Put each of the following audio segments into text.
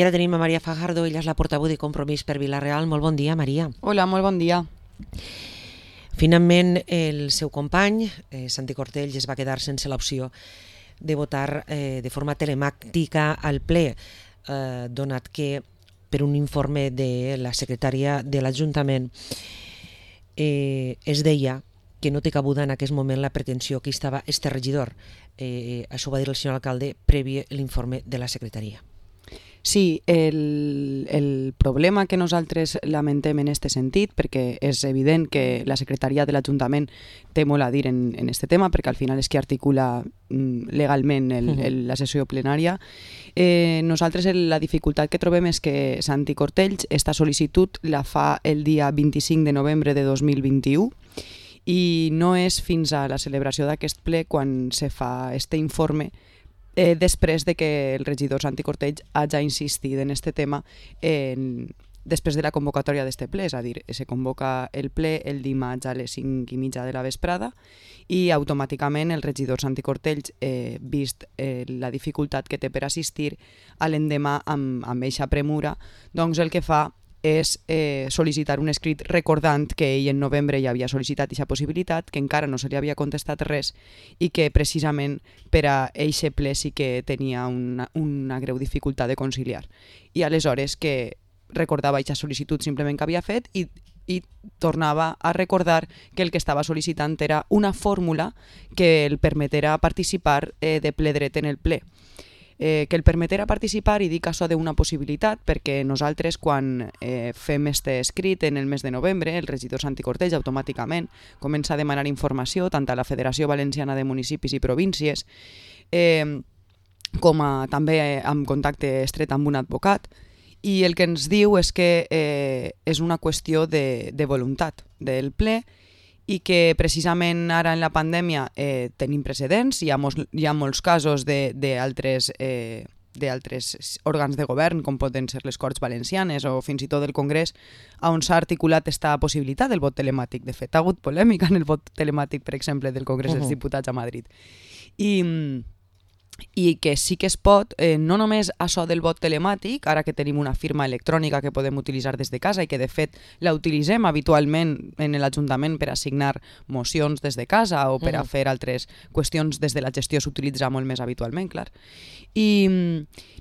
I ara tenim a Maria Fajardo, ella és la portaveu de Compromís per Vila-real. Molt bon dia, Maria. Hola, molt bon dia. Finalment, el seu company, Santi Cortells, es va quedar sense l'opció de votar de forma telemàtica al ple, donat que per un informe de la secretària de l'Ajuntament es deia que no té cabuda en aquest moment la pretensió que estava este regidor. Això ho va dir el senyor alcalde previ l'informe de la secretaria. Sí, el problema que nosaltres lamentem en aquest sentit, perquè és evident que la secretaria de l'Ajuntament té molt a dir en aquest tema, perquè al final és qui articula legalment la sessió plenària, nosaltres la dificultat que trobem és que Santi Cortells esta sol·licitud la fa el dia 25 de novembre de 2021 i no és fins a la celebració d'aquest ple quan se fa este informe després de que el regidor Santi Cortells hagi insistit en este tema després de la convocatòria d'este ple, és a dir, se convoca el ple el dimarts a les 5:30 de la vesprada i automàticament el regidor Santi Cortells, vist la dificultat que té per assistir a l'endemà amb eixa premura, doncs el que fa és sol·licitar un escrit recordant que ell en novembre ja havia sol·licitat aquesta possibilitat, que encara no se li havia contestat res i que precisament per a eixe ple sí que tenia una greu dificultat de conciliar. I aleshores que recordava aquesta sol·licitud simplement que havia fet i tornava a recordar que el que estava sol·licitant era una fórmula que el permetera participar de ple dret en el ple. Que el permetera participar, i dic això d'una possibilitat, perquè nosaltres quan fem este escrit en el mes de novembre, el regidor Santi Cortells automàticament comença a demanar informació tant a la Federació Valenciana de Municipis i Províncies com també amb contacte estret amb un advocat, i el que ens diu és que és una qüestió de voluntat del ple i que precisament ara en la pandèmia tenim precedents, hi ha molts casos d'altres òrgans de govern, com poden ser les Corts Valencianes o fins i tot el Congrés, on s'ha articulat aquesta possibilitat del vot telemàtic. De fet, ha hagut polèmica en el vot telemàtic, per exemple, del Congrés dels Diputats a Madrid. I que sí que es pot, no només això del vot telemàtic, ara que tenim una firma electrònica que podem utilitzar des de casa i que de fet la utilitzem habitualment en l'Ajuntament per assignar mocions des de casa o per a fer altres qüestions des de la gestió s'utilitza molt més habitualment, clar. I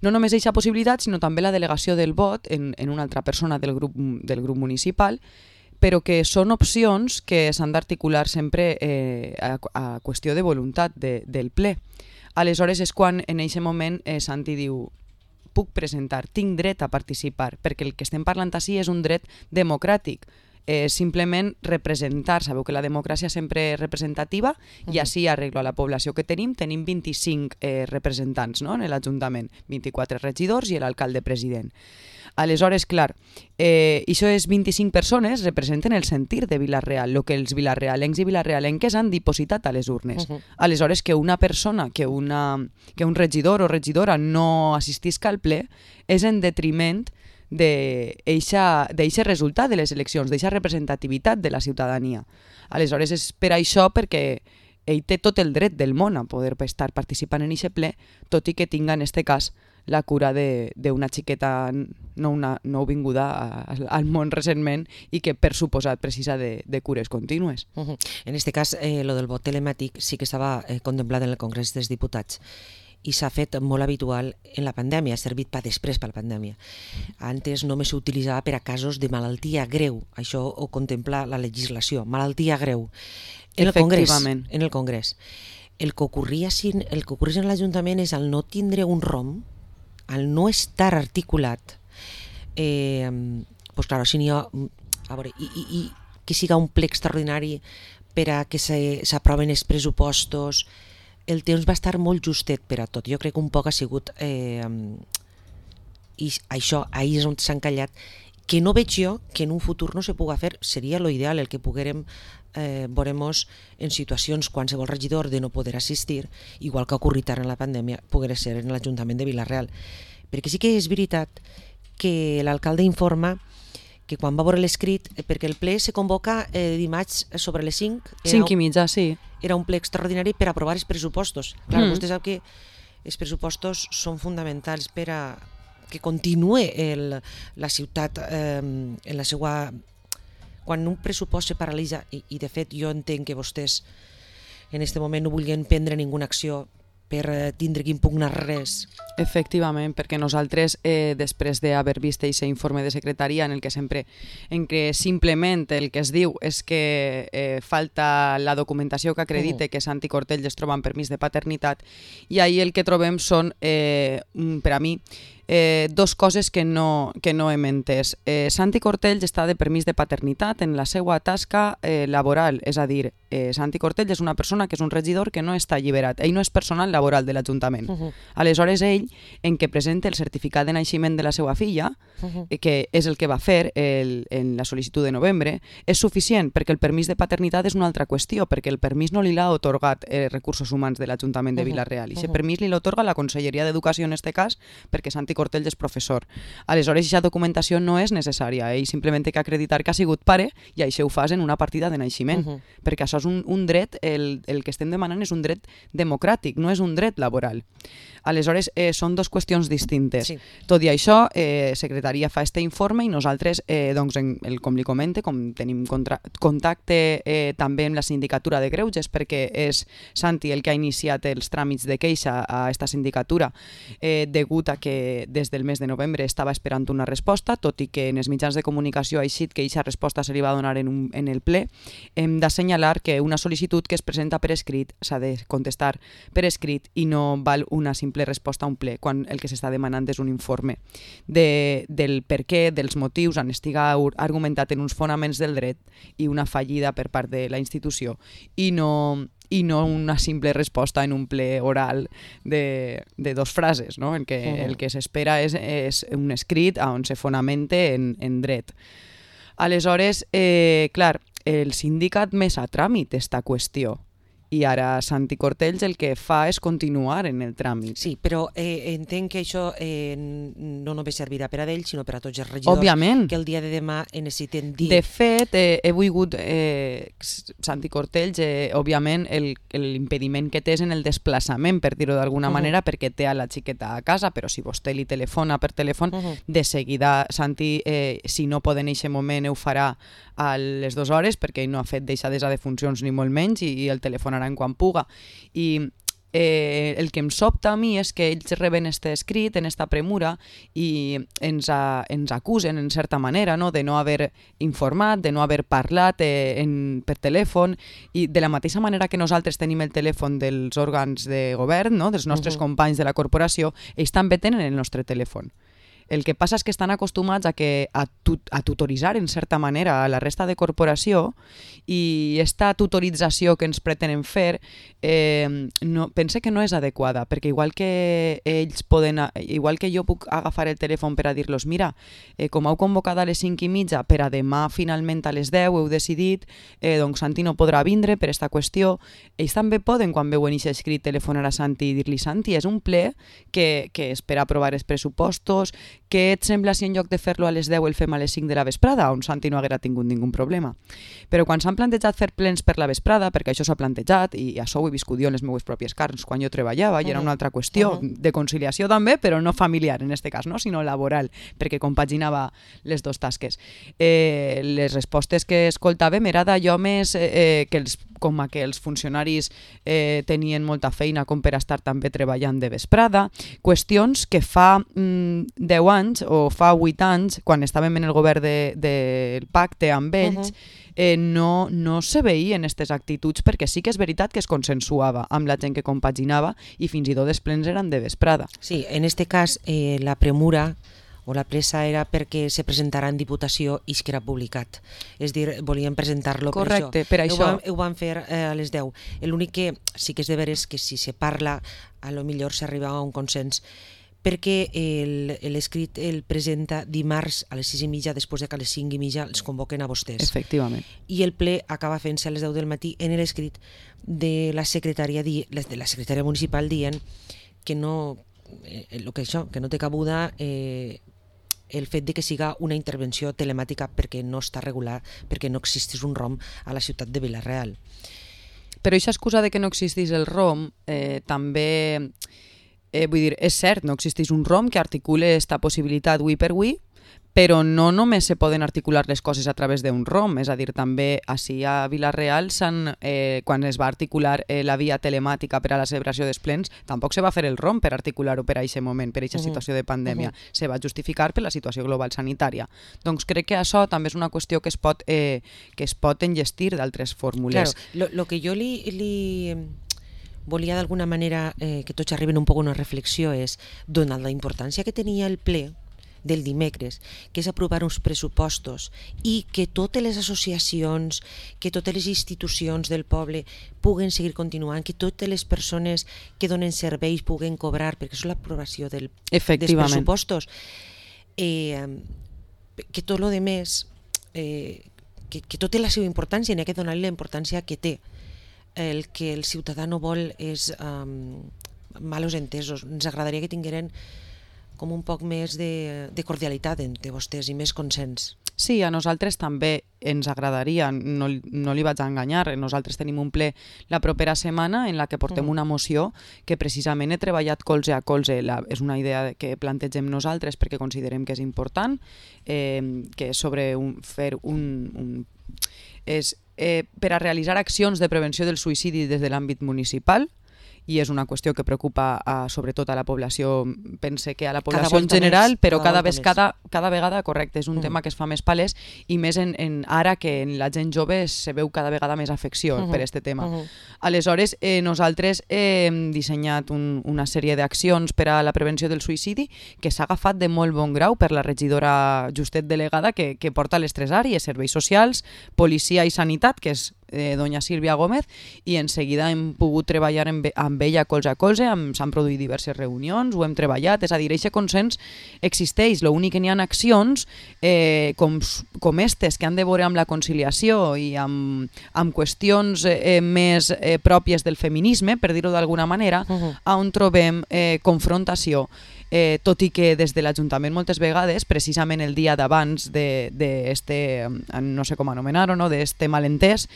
no només aquesta possibilitat, sinó també la delegació del vot en una altra persona del grup municipal, però que són opcions que s'han d'articular sempre a qüestió de voluntat del ple. Aleshores és quan en aquest moment Santi diu puc presentar, tinc dret a participar, perquè el que estem parlant ací és un dret democràtic, simplement representar. Sabeu que la democràcia sempre és representativa i així arreglo a la població que tenim 25 representants en l'Ajuntament, 24 regidors i l'alcalde president. Aleshores, clar, això és 25 persones representen el sentir de Vila-real, el que els vilarrealencs i vilarrealenques han dipositat a les urnes. Aleshores, que una persona, que un regidor o regidora no assistisca al ple és en detriment d'eixe resultat de les eleccions, d'eixa representativitat de la ciutadania. Aleshores, és per això perquè ell té tot el dret del món a poder estar participant en aquest ple, tot i que tinga, en aquest cas, la cura d'una xiqueta nouvinguda al món recentment i que, per suposat, precisa de cures contínues. En aquest cas, lo del vot telemàtic sí que estava contemplat en el Congrés dels Diputats i s'ha fet molt habitual en la pandèmia, ha servit per després per la pandèmia. Antes només s'utilitzava per a casos de malaltia greu, això ho contempla la legislació, malaltia greu. En el Congrés. El que ocorreix en l'Ajuntament és el no tindre un ROM, al no estar articulat, doncs clar, si n'hi ha, a veure, i que siga un ple extraordinari per a que s'aproven els pressupostos, el temps va estar molt justet per a tot. Jo crec que un poc ha sigut, i això, ahir és on s'ha encallat, que no veig jo que en un futur no se puga fer, seria lo ideal el que poguérem veuremos en situacions qualsevol regidor de no poder assistir, igual que ha ocorrit ara en la pandèmia, poguera ser en l'Ajuntament de Vila-real. Perquè sí que és veritat que l'alcalde informa que quan va veure l'escrit, perquè el ple se convoca dimarts sobre les 5. 5:30, sí. Era un ple extraordinari per aprovar els pressupostos. Clar, vostè sap que els pressupostos són fonamentals per a que continue la ciutat en la seva... Quan un pressupost se paralitza, i de fet jo entenc que vostès en aquest moment no vulguin prendre ninguna acció per tindre que impugnar res. Efectivament, perquè nosaltres, després d'haver vist aquest informe de secretaria en què simplement el que es diu és que falta la documentació que acredite que Santi Cortell es troba en permís de paternitat, i ahir el que trobem són, per a mi, dos coses que no hem entès. Santi Cortell està de permís de paternitat en la seva tasca laboral, és a dir, Santi Cortell és una persona que és un regidor que no està alliberat, ell no és personal laboral de l'Ajuntament. Aleshores ell, en què presenta el certificat de naixement de la seva filla, que és el que va fer en la sol·licitud de novembre, és suficient, perquè el permís de paternitat és una altra qüestió, perquè el permís no li l'ha atorgat Recursos Humans de l'Ajuntament de Vila-real, i aquest permís li l'atorga la Conselleria d'Educació en aquest cas, perquè Santi Cortell és professor. Aleshores, aquesta documentació no és necessària, ell simplement té que acreditar que ha sigut pare, i això ho fas en una partida de naixement, perquè això és un dret, el que estem demanant és un dret democràtic, no és un dret laboral. Aleshores, són dues qüestions distintes. Sí. Tot i això, Secretaria fa este informe i nosaltres, doncs, com li comente, com tenim contacte també amb la sindicatura de greuges, perquè és Santi el que ha iniciat els tràmits de queixa a esta sindicatura, degut a que des del mes de novembre estava esperant una resposta, tot i que en els mitjans de comunicació ha eixit que aquesta resposta se li va donar en el ple. Hem d'assenyalar que una sol·licitud que es presenta per escrit s'ha de contestar per escrit i no val una simple resposta a un ple, quan el que s'està demanant és un informe del per què, dels motius, on estiga argumentat en uns fonaments del dret i una fallida per part de la institució, i no una simple resposta en un ple oral de dos frases, no? En què el que s'espera és un escrit on se fonamente en dret. Aleshores, clar, el sindicat més a tràmit esta qüestió, i ara Santi Cortell el que fa és continuar en el tràmit. Sí, però entenc que això no només servirà per a ell, sinó per a tots els regidors. Òbviament. Que el dia de demà necessiten dir... De fet, he volgut Santi Cortell, òbviament, l'impediment que té és en el desplaçament, per dir-ho d'alguna manera, perquè té a la xiqueta a casa, però si vostè li telefona per telèfon, de seguida Santi, si no pot en aquest moment, ho farà a les 2 hores, perquè ell no ha fet deixadesa de funcions ni molt menys, i el telefonarà en quan puga. I el que em sobta a mi és que ells reben este escrit en esta premura i ens acusen en certa manera, no?, de no haver informat, de no haver parlat per telèfon, i de la mateixa manera que nosaltres tenim el telèfon dels òrgans de govern, no?, dels nostres companys de la corporació, ells també tenen el nostre telèfon. El que passa és que estan acostumats a tutoritzar en certa manera a la resta de corporació, i aquesta tutorització que ens pretenen fer pense que no és adequada, perquè igual que jo puc agafar el telèfon per a dir-los mira, com heu convocat a les 5:30 per a demà finalment a les 10 heu decidit, doncs Santi no podrà vindre per aquesta qüestió. Ells també poden, quan veuen aquest escrit, telefonar a Santi i dir-li Santi, és un ple que és per aprovar els pressupostos, què et sembla si en lloc de fer-lo a les 10 el fem a les 5 de la vesprada, on Santi no haguera tingut ningú problema. Però quan s'han plantejat fer plens per la vesprada, perquè això s'ha plantejat, i això ho he viscut jo en les meves pròpies carns quan jo treballava, i era una altra qüestió de conciliació també, però no familiar en aquest cas, no? Sinó laboral, perquè compaginava les dues tasques. Les respostes que escoltàvem era d'allò més com que els funcionaris tenien molta feina com per estar també treballant de vesprada, qüestions que fa 10 anys o fa 8 anys, quan estàvem en el govern del pacte amb ells, no se veien aquestes actituds, perquè sí que és veritat que es consensuava amb la gent que compaginava i fins i tot els plens eren de vesprada. Sí, en aquest cas la premura o la pressa era perquè se presentarà en Diputació i es queda publicat. És dir, volíem presentar-lo per això. Correcte, per això. Ho van fer a les 10. L'únic que sí que és de veres que si se parla, a lo millor s'arriba a un consens, perquè l'escrit el presenta dimarts a les 6:30, després que a les 5:30 els convoquen a vostès. Efectivament. I el ple acaba fent-se a les 10 del matí en l'escrit de la secretària municipal dient que no té cabuda el fet de que siga una intervenció telemàtica perquè no està regulat, perquè no existís un ROM a la ciutat de Vila-real. Però aquesta excusa de que no existís el ROM també vull dir, és cert, no existeix un ROM que articule esta possibilitat avui per avui, però no només se poden articular les coses a través d'un ROM, és a dir, també així a Vila-real, quan es va articular la via telemàtica per a la celebració dels plens, tampoc se va fer el ROM per articular-ho per a aquest moment, per a aquesta situació de pandèmia. Se va justificar per la situació global sanitària. Doncs crec que això també és una qüestió que es pot enllestir d'altres fórmules. Claro, lo que jo li volia d'alguna manera que tots arriben un poc a una reflexió és, donat la importància que tenia el ple del dimecres, que és aprovar uns pressupostos i que totes les associacions, que totes les institucions del poble puguen seguir continuant, que totes les persones que donen serveis puguen cobrar, perquè és l'aprovació dels pressupostos, que tot el més que tot té la seva importància i n'hi ha que donar-li la importància que té. El que el ciutadà no vol és malos entesos. Ens agradaria que tingueren com un poc més de cordialitat entre vostès i més consens. Sí, a nosaltres també ens agradaria, no li vaig a enganyar, nosaltres tenim un ple la propera setmana en la que portem una moció que precisament he treballat colze a colze, és una idea que plantegem nosaltres perquè considerem que és important, que és sobre per a realitzar accions de prevenció del suïcidi des de l'àmbit municipal, i és una qüestió que preocupa sobretot a la població, pense que a la població en general, però cada vegada, correcte, és un tema que es fa més palès i més ara que en la gent jove se veu cada vegada més afecció per aquest tema. Aleshores, nosaltres hem dissenyat una sèrie d'accions per a la prevenció del suïcidi que s'ha agafat de molt bon grau per la regidora Justet delegada que porta les tres àrees, serveis socials, policia i sanitat, que és doña Sílvia Gómez, i en seguida hem pogut treballar amb ella colze a colze, s'han produït diverses reunions, ho hem treballat, és a dir, aquest consens existeix, l'únic que n'hi ha accions com estes que han de veure amb la conciliació i amb qüestions més pròpies del feminisme, per dir-ho d'alguna manera, on trobem confrontació. Tot i que des de l'Ajuntament moltes vegades, precisament el dia d'abans no sé com anomenar-ho, d'este malentès,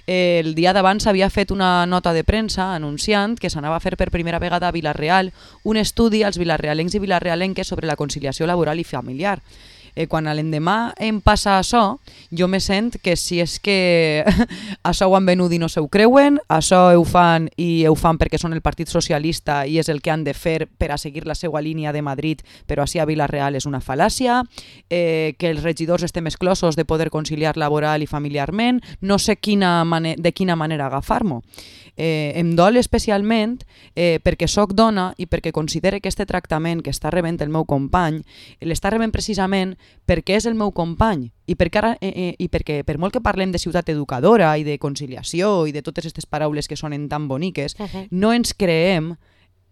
el dia d'abans s'havia fet una nota de premsa anunciant que s'anava a fer per primera vegada a Vila-real un estudi als vilarrealencs i vilarrealenques sobre la conciliació laboral i familiar. Quan a l'endemà em passa això, jo me sent que si és que això ho han venut i no s'ho creuen, això ho fan i ho fan perquè són el Partit Socialista i és el que han de fer per a seguir la seva línia de Madrid, però així a Vila-real és una fal·làcia, que els regidors estem exclosos de poder conciliar laboral i familiarment, no sé de quina manera agafar-m'ho. Em dol especialment perquè sóc dona i perquè considere que aquest tractament que està rebent el meu company l'està rebent precisament perquè és el meu company i perquè per molt que parlem de ciutat educadora i de conciliació i de totes aquestes paraules que sonen tan boniques, no ens creem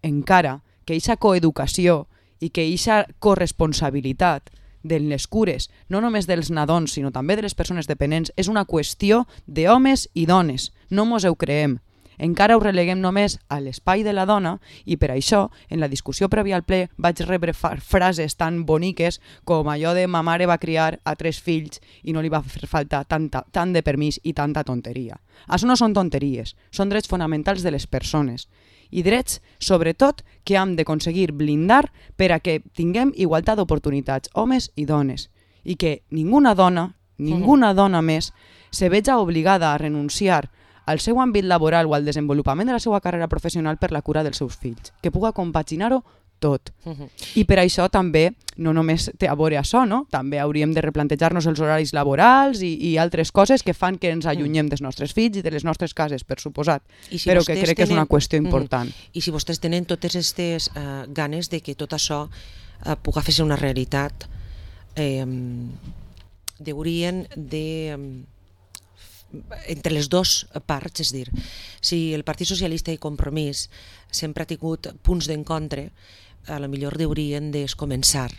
encara que aquesta coeducació i que aquesta corresponsabilitat de les cures, no només dels nadons sinó també de les persones dependents, és una qüestió d'homes i dones, no mos ho creem. Encara ho releguem només a l'espai de la dona i per això, en la discussió prèvia al ple, vaig rebre frases tan boniques com allò de ma mare va criar a 3 fills i no li va fer falta tant de permís i tanta tonteria. Això no són tonteries, són drets fonamentals de les persones i drets, sobretot, que hem d'aconseguir blindar per a que tinguem igualtat d'oportunitats, homes i dones, i que ninguna dona més se veja obligada a renunciar al seu àmbit laboral o al desenvolupament de la seva carrera professional per la cura dels seus fills, que puga compaginar-ho tot. I per això també, no només té a veure això, no? També hauríem de replantejar-nos els horaris laborals i altres coses que fan que ens allunyem dels nostres fills i de les nostres cases, per suposat, però que crec que és una qüestió important. I si vostès tenen totes aquestes ganes de que tot això puga fer-se una realitat, haurien de entre les dues parts, és dir, si el Partit Socialista i Compromís sempre ha tingut punts d'encontre, a lo millor haurien de començar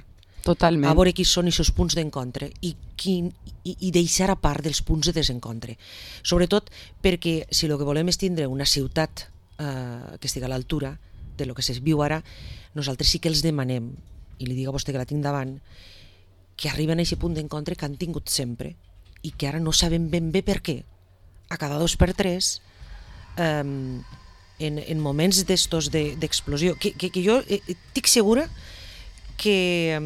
totalment a veure quins són aquests punts d'encontre i deixar a part dels punts de desencontre. Sobretot perquè si el que volem és tindre una ciutat que estigui a l'altura de lo que es viu ara, nosaltres sí que els demanem, i li dic a vostè que la tinc davant, que arriben a aquest punt d'encontre que han tingut sempre i que ara no sabem ben bé per què. A cada 2 per 3 en moments d'estos d'explosió, que jo estic segura que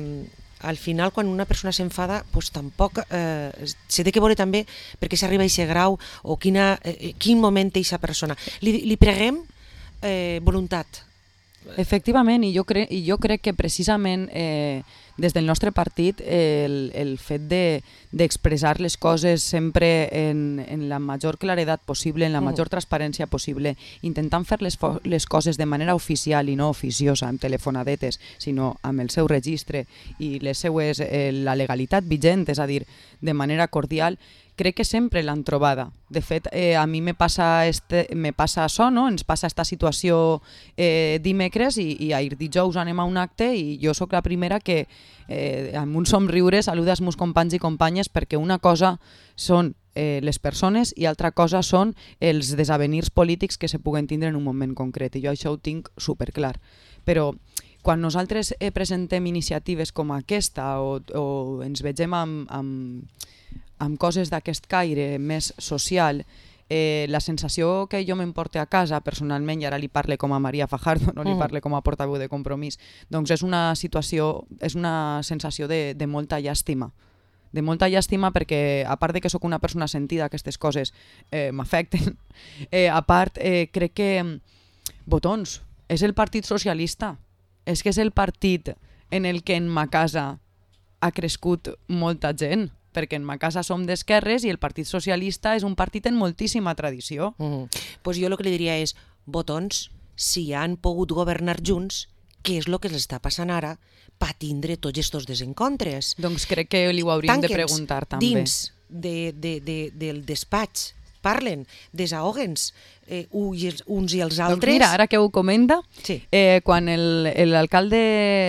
al final quan una persona s'enfada pues tampoc se té que veure també per què s'arriba a aquest grau o quin moment té aquesta persona. Li preguem voluntat. Efectivament, i jo crec que precisament des del nostre partit el fet d'expressar les coses sempre en la major claredat possible, en la major transparència possible, intentant fer les coses de manera oficial i no oficiosa, amb telefonadetes, sinó amb el seu registre i la legalitat vigent, és a dir, de manera cordial, crec que sempre l'han trobada. De fet, a mi me passa això, no? Ens passa aquesta situació dimecres i ahir dijous anem a un acte i jo sóc la primera que amb un somriure saluda els meus companys i companyes, perquè una cosa són les persones i altra cosa són els desavenirs polítics que se puguen tindre en un moment concret, i jo això ho tinc superclar. Però quan nosaltres presentem iniciatives com aquesta o ens vegem amb coses d'aquest caire més social, la sensació que jo m'emporte a casa personalment, i ara li parle com a Maria Fajardo, no li parle com a portaveu de Compromís, doncs és una sensació de molta llàstima. De molta llàstima perquè, a part de que sóc una persona sentida, aquestes coses m'afecten, a part crec que Botons és el Partit Socialista, és que és el partit en el que en ma casa ha crescut molta gent, perquè en ma casa som d'esquerres i el Partit Socialista és un partit en moltíssima tradició. Pues jo el que li diria és, Botons, si han pogut governar junts, què és el que els està passant ara per tindre tots aquests desencontres? Doncs crec que li ho hauríem de preguntar també. Dins del despatx, parlen, desahoguen-se uns i els altres. Doncs mira, ara que ho comenta, sí. Quan l'alcalde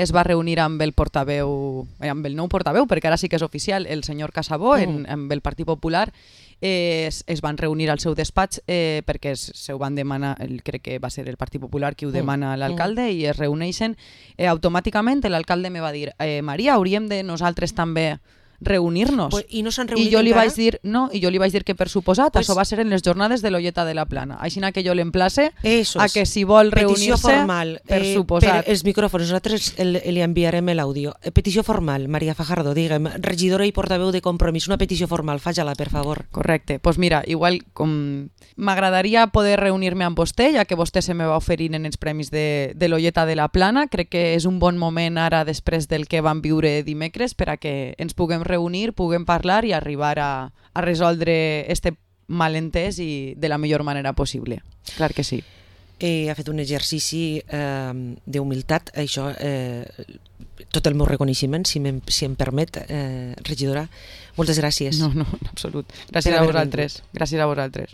es va reunir amb el portaveu, amb el nou portaveu, perquè ara sí que és oficial, el senyor Casabó, amb el Partit Popular, es van reunir al seu despatx perquè se ho van demanar, crec que va ser el Partit Popular qui ho demana a l'alcalde, i es reuneixen automàticament. L'alcalde me va dir, Maria, hauríem de nosaltres també reunir-nos. Pues, i no s'han reunit I jo li encara? vaig dir, no, i jo li vaig dir que per suposat això va ser en les jornades de l'Olleta de la Plana. Així que jo l'emplace a que si vol reunir-se, formal, per suposat. Per els micròfons, nosaltres li enviarem l'àudio. Petició formal, Maria Fajardo, digue'm, regidora i portaveu de Compromís, una petició formal, faig-la, per favor. Correcte, doncs mira, igual com m'agradaria poder reunir-me amb vostè, ja que vostè se me va oferir en els premis de l'Olleta de la Plana. Crec que és un bon moment ara, després del que vam viure dimecres, per a que ens puguem reunir, puguem parlar i arribar a resoldre este malentès i de la millor manera possible. Clar que sí. Ha fet un exercici d'humilitat, això, tot el meu reconeixement, si em permet, regidora. Moltes gràcies. No, en absolut. Gràcies a vosaltres. Gràcies a vosaltres.